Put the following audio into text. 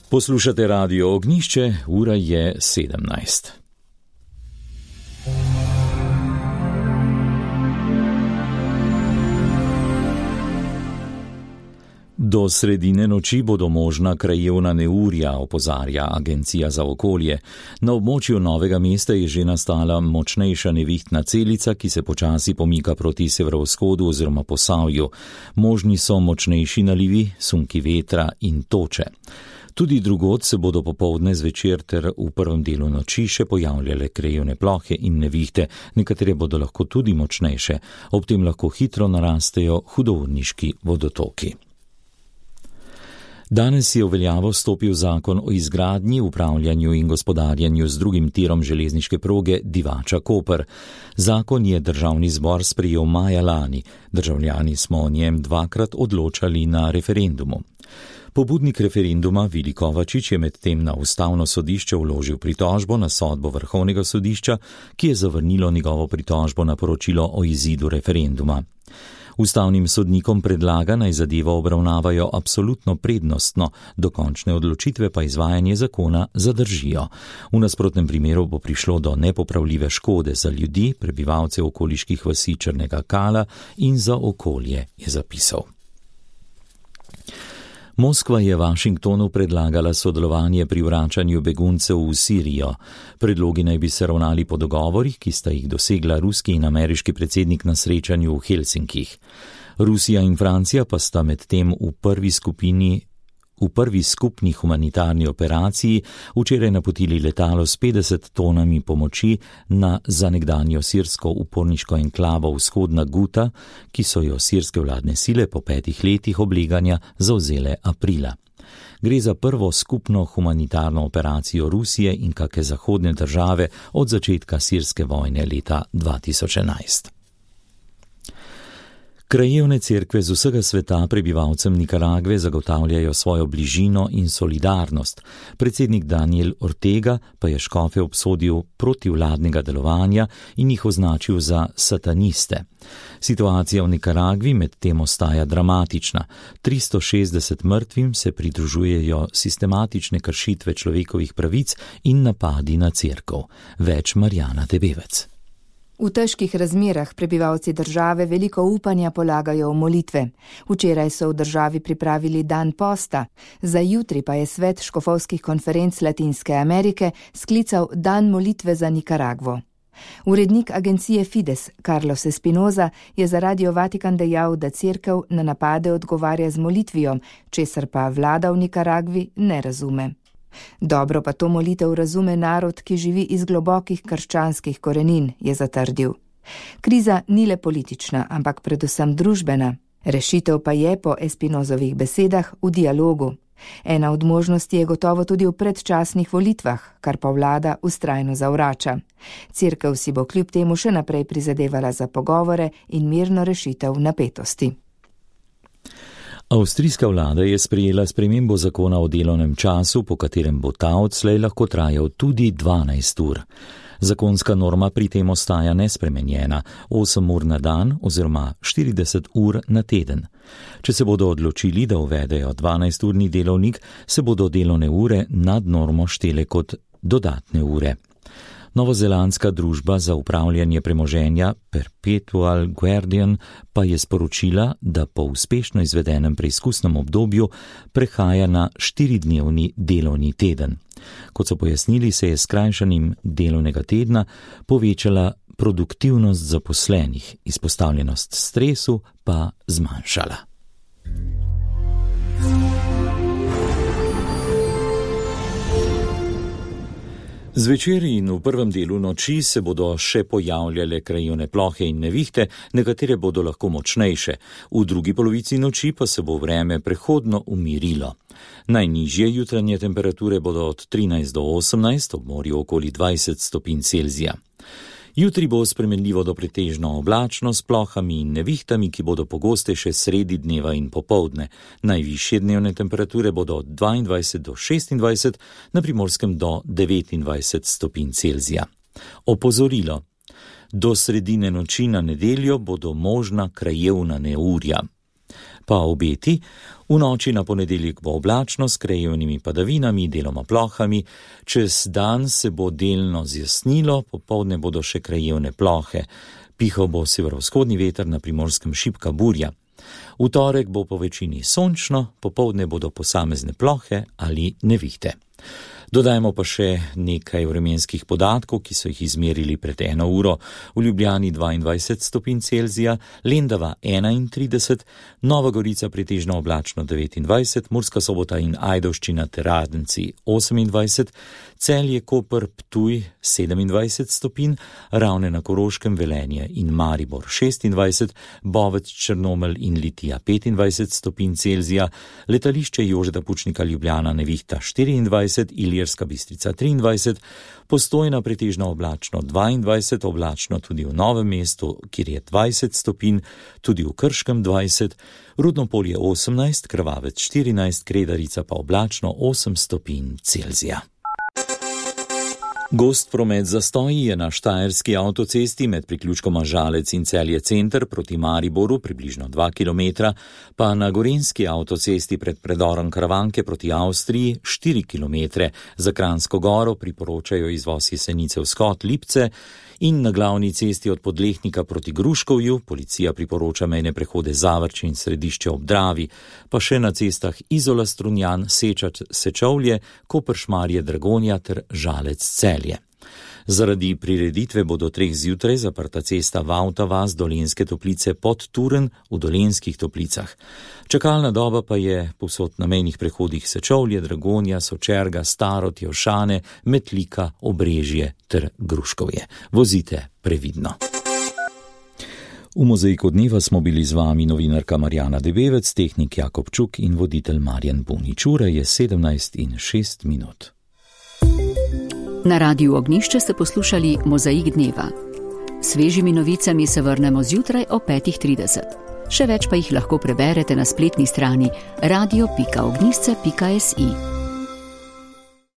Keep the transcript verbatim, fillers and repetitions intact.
Poslušate Radio Ognjišče, ura je sedemnajst. Do sredine noči bodo možna krajevna neurja, opozarja Agencija za okolje. Na območju Novega mesta je že nastala močnejša nevihtna celica, ki se počasi pomika proti severovzhodu oziroma Posavju. Možni so močnejši nalivi, sunki vetra in toče. Tudi drugod se bodo popoldne, zvečer ter v prvem delu noči še pojavljale krajevne plohe in nevihte, nekatere bodo lahko tudi močnejše, ob tem lahko hitro narastejo hudourniški vodotoki. Danes je v veljavo stopil zakon o izgradnji, upravljanju in gospodarjanju z drugim tirom železniške proge Divača-Koper. Zakon je državni zbor sprejel maja lani. Državljani smo o njem dvakrat odločali na referendumu. Pobudnik referenduma Vili Kovačič je medtem na ustavno sodišče vložil pritožbo na sodbo Vrhovnega sodišča, ki je zavrnilo njegovo pritožbo na poročilo o izidu referenduma. Ustavnim sodnikom predlaga, naj zadevo obravnavajo absolutno prednostno, dokončne odločitve pa izvajanje zakona zadržijo. V nasprotnem primeru bo prišlo do nepopravljive škode za ljudi, prebivalce okoliških vasi Črnega Kala in za okolje, je zapisal. Moskva je Washingtonu predlagala sodelovanje pri vračanju beguncev v Sirijo. Predlogi naj bi se ravnali po dogovorih, ki sta jih dosegla ruski in ameriški predsednik na srečanju v Helsinkih. Rusija in Francija pa sta medtem v prvi skupini V prvi skupni humanitarni operaciji včeraj napotili letalo s petdeset tonami pomoči na za nekdanjo sirsko uporniško enklavo Vzhodna Guta, ki so jo sirske vladne sile po petih letih obleganja zavzele aprila. Gre za prvo skupno humanitarno operacijo Rusije in kake zahodne države od začetka sirske vojne leta dva tisoč enajst. Krajevne cerkve z vsega sveta prebivalcem Nikaragve zagotavljajo svojo bližino in solidarnost. Predsednik Daniel Ortega pa je škofe obsodil protivladnega delovanja in jih označil za sataniste. Situacija v Nikaragvi medtem ostaja dramatična. tristo šestdeset mrtvim se pridružujejo sistematične kršitve človekovih pravic in napadi na cerkev. Več Marjana Tebevec. V težkih razmerah prebivalci države veliko upanja polagajo v molitve. Včeraj so v državi pripravili dan posta, za jutri pa je svet škofovskih konferenc Latinske Amerike sklical dan molitve za Nikaragvo. Urednik agencije Fides, Carlos Espinoza, je za Radio Vatikan dejal, da cerkev na napade odgovarja z molitvijo, česar pa vlada v Nikaragvi ne razume. Dobro pa to molitev razume narod, ki živi iz globokih krščanskih korenin, je zatrdil. Kriza ni le politična, ampak predvsem družbena. Rešitev pa je po Espinozovih besedah v dialogu. Ena od možnosti je gotovo tudi v predčasnih volitvah, kar pa vlada vztrajno zavrača. Cerkev si bo kljub temu še naprej prizadevala za pogovore in mirno rešitev napetosti. Avstrijska vlada je sprejela spremembo zakona o delovnem času, po katerem bo ta odslej lahko trajal tudi dvanajst ur. Zakonska norma pri tem ostaja nespremenjena, osem ur na dan oziroma štirideset ur na teden. Če se bodo odločili, da uvedejo dvanajsturni delovnik, se bodo delovne ure nad normo štele kot dodatne ure. Novozelandska družba za upravljanje premoženja Perpetual Guardian pa je sporočila, da po uspešno izvedenem preizkusnem obdobju prehaja na štiridnevni delovni teden. Kot so pojasnili, se je s skrajšanim delovnega tedna povečala produktivnost zaposlenih, izpostavljenost stresu pa zmanjšala. Zvečer in v prvem delu noči se bodo še pojavljale krajevne plohe in nevihte, nekatere bodo lahko močnejše. V drugi polovici noči pa se bo vreme prehodno umirilo. Najnižje jutranje temperature bodo od trinajst do osemnajst, ob morju okoli dvajset stopinj Celzija. Jutri bo spremenljivo do pretežno oblačno s plohami in nevihtami, ki bodo pogostejše sredi dneva in popoldne. Najvišje dnevne temperature bodo od dvaindvajset do šestindvajset, na Primorskem do devetindvajset stopinj Celzija. Opozorilo. Do sredine noči na nedeljo bodo možna krajevna neurja. Pa obeti: v noči na ponedeljek bo oblačno s krajevnimi padavinami, deloma plohami, čez dan se bo delno zjasnilo, popoldne bodo še krajevne plohe. Pihal bo severovzhodni veter, na Primorskem šibka burja. V torek bo po večini sončno, popoldne bodo posamezne plohe ali nevihte. Dodajmo pa še nekaj vremenskih podatkov, ki so jih izmerili pred eno uro. V Ljubljani dvaindvajset stopinj Celzija, Lendava enaintrideset, Nova Gorica pretežno oblačno devetindvajset, Murska Sobota in Ajdovščina ter Radenci osemindvajset, Celje, Koper, Ptuj sedemindvajset stopinj, Ravne na Koroškem, Velenje in Maribor šestindvajset, Bovec, Črnomelj in Litija petindvajset stopinj Celzija, Letališče Jožeta Pučnika Ljubljana nevihta štiriindvajset, Ilirska Bistrica triindvajset, Postojna pretežno oblačno dvaindvajset, oblačno tudi v Novem mestu, kjer je dvajset stopinj, tudi v Krškem dvajset, Rudno Polje osemnajst, Krvavec štirinajst, Kredarica pa oblačno osem stopinj Celzija. Gost promet zastoji je na štajerski avtocesti med priključkoma Žalec in Celje center proti Mariboru približno dva kilometra, pa na gorenjski avtocesti pred predorom Karavanke proti Avstriji štiri kilometre. Za Kranjsko Goro priporočajo izvoz Jesenice vzhod Lipce in na glavni cesti od Podlehnika proti Gruškovju policija priporoča mejne prehode Zavrč in Središče ob Dravi, pa še na cestah Izola Strunjan, Sečač, Sečovlje, Koper, Šmarje, Dragonja ter Žalec Celje. Zaradi prireditve bo do treh zjutraj zaprta cesta Vavta vas Dolenjske Toplice pod Turen v Dolenjskih Toplicah. Čakalna doba pa je povsod na mejnih prehodih Sečovlje, Dragonja, Sočerga, Starod, Jevšane, Metlika, Obrežje ter Gruškovje. Vozite previdno. V Mozaiku dneva smo bili z vami novinarka Marjana Debevec, tehnik Jakob Čuk in voditelj Marjan Bunič. Ura je sedemnajst in šest minut. Na Radiu Ognjišče ste poslušali Mozaik dneva. Svežimi novicami se vrnemo zjutraj o petih trideset. Še več pa jih lahko preberete na spletni strani radio pika ognjišče pika si.